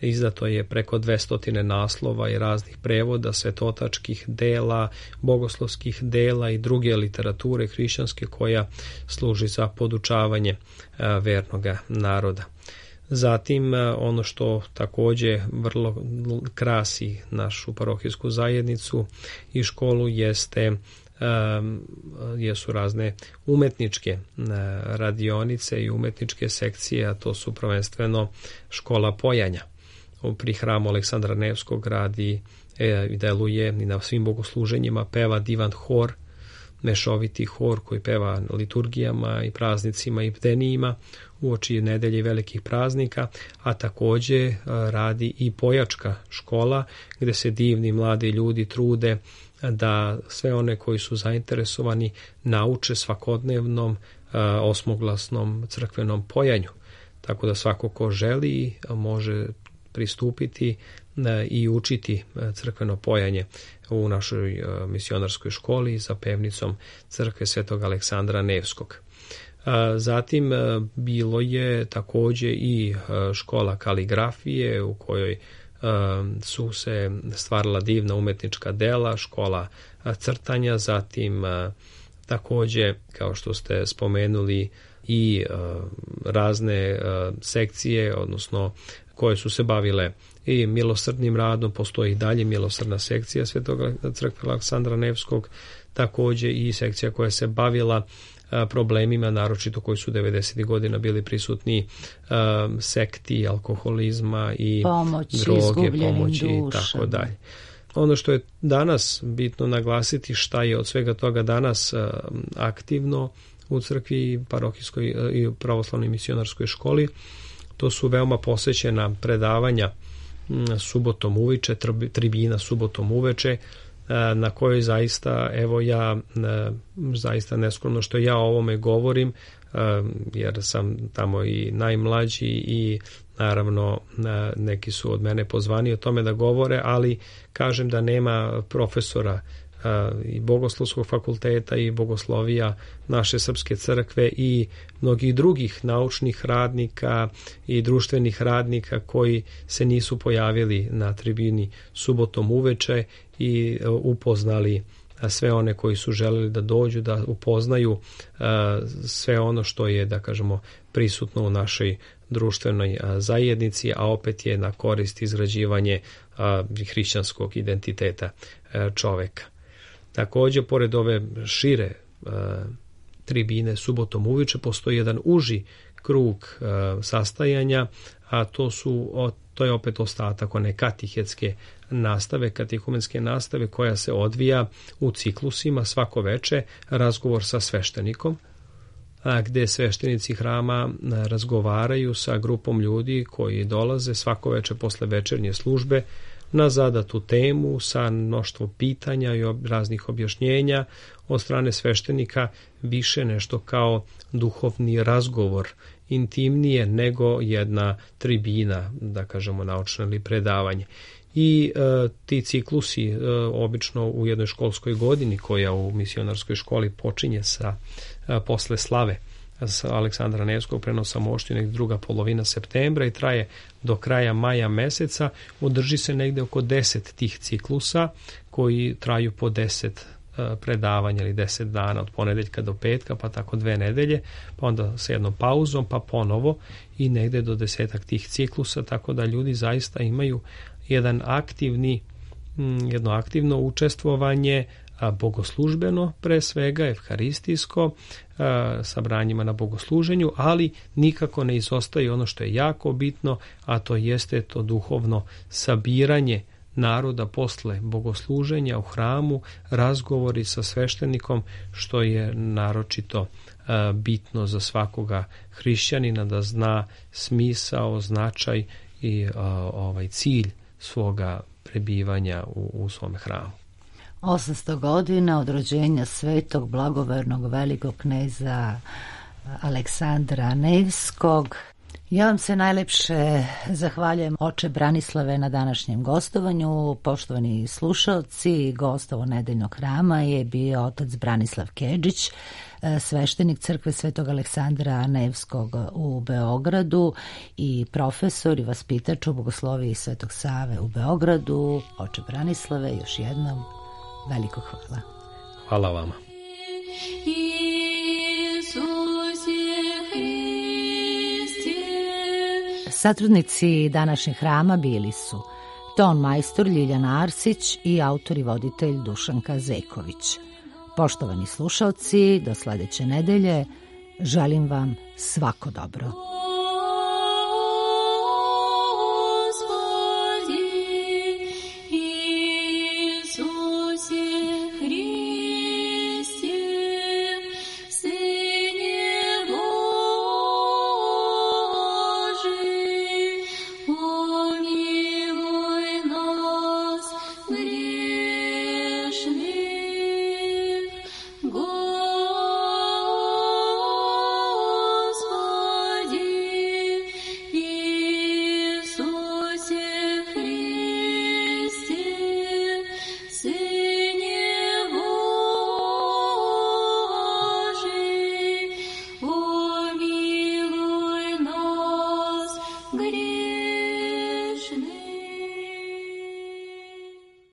izdato je preko dvesta naslova i raznih prevoda, svetotačkih dela, bogoslovskih dela i druge literature hrišćanske koja služi za podučavanje vernoga naroda. Zatim, ono što takođe vrlo krasi našu parohijsku zajednicu i školu jeste, um, jesu razne umetničke radionice i umetničke sekcije, a to su prvenstveno škola pojanja. Pri hramu Aleksandra Nevskog radi i deluje i na svim bogosluženjima, peva divan hor, mešoviti hor koji peva na liturgijama i praznicima i bdenijima uoči nedelje i velikih praznika, a takođe radi i pojačka škola gde se divni mladi ljudi trude da sve one koji su zainteresovani nauče svakodnevnom osmoglasnom crkvenom pojanju. Tako da svako ko želi može pristupiti i učiti crkveno pojanje u našoj misionarskoj školi za pevnicom crkve Svetog Aleksandra Nevskog. Zatim bilo je takođe i škola kaligrafije u kojoj su se stvarala divna umetnička dela, škola crtanja, zatim takođe, kao što ste spomenuli, i razne sekcije, odnosno koje su se bavile i milosrdnim radom, postoji i dalje milosrdna sekcija Svetog crkve Aleksandra Nevskog, takođe i sekcija koja se bavila problemima, naročito koji su devedesetih godina bili prisutni, um, sekti, alkoholizma i pomoći, droge, pomoći i tako dalje. Ono što je danas bitno naglasiti, šta je od svega toga danas um, aktivno u crkvi parohijskoj i pravoslavnoj misionarskoj školi, to su veoma posvećena predavanja subotom uveče, tribina subotom uveče, na kojoj zaista, evo ja zaista neskromno što ja o ovome govorim, jer sam tamo i najmlađi i naravno neki su od mene pozvani o tome da govore, ali kažem da nema profesora i Bogoslovskog fakulteta i bogoslovija naše srpske crkve i mnogih drugih naučnih radnika i društvenih radnika koji se nisu pojavili na tribini subotom uveče i upoznali sve one koji su želeli da dođu, da upoznaju sve ono što je, da kažemo, prisutno u našoj društvenoj zajednici, a opet je na korist izgrađivanje hrišćanskog identiteta čoveka. Također, pored ove šire uh, tribine subotom uveče, postoji jedan uži krug uh, sastajanja, a to su o, to je opet ostatak one katehetske nastave, katehumenske nastave koja se odvija u ciklusima svako veče, razgovor sa sveštenikom, a, gde sveštenici hrama razgovaraju sa grupom ljudi koji dolaze svako veče posle večernje službe na zadatu temu sa mnoštvo pitanja i raznih objašnjenja od strane sveštenika, više nešto kao duhovni razgovor, intimnije nego jedna tribina, da kažemo naučno ili predavanje. I e, ti ciklusi e, obično u jednoj školskoj godini koja u misionarskoj školi počinje sa e, posle slave sa Aleksandra Nevskog prenosa mošti, negdje druga polovina septembra i traje do kraja maja meseca. Održi se negdje oko deset tih ciklusa koji traju po deset predavanja ili deset dana od ponedeljka do petka, pa tako dve nedelje, pa onda sa jednom pauzom, pa ponovo i negdje do desetak tih ciklusa, tako da ljudi zaista imaju jedan aktivni, jedno aktivno učestvovanje, bogoslužbeno pre svega, evharistijsko, sa branjima na bogosluženju, ali nikako ne izostaje ono što je jako bitno, a to jeste to duhovno sabiranje naroda posle bogosluženja u hramu, razgovori sa sveštenikom, što je naročito bitno za svakoga hrišćanina da zna smisao, značaj i ovaj cilj svoga prebivanja u, u svom hramu. osamsto godina od rođenja svetog blagovernog velikog kneza Aleksandra Nevskog. Ja vam se najlepše zahvaljujem, oče Branislave, na današnjem gostovanju. Poštovani slušalci, gost ovo nedeljnog hrama je bio otac Branislav Kedžić, sveštenik crkve Svetog Aleksandra Nevskog u Beogradu i profesor i vaspitač u bogosloviji Svetog Save u Beogradu. Oče Branislave, još jednom veliko hvala. Hvala vama. Satrudnici današnjeg hrama bili su ton majstor Ljiljana Arsić i autor i voditelj Dušanka Zeković. Poštovani slušalci, do sledeće nedelje želim vam svako dobro.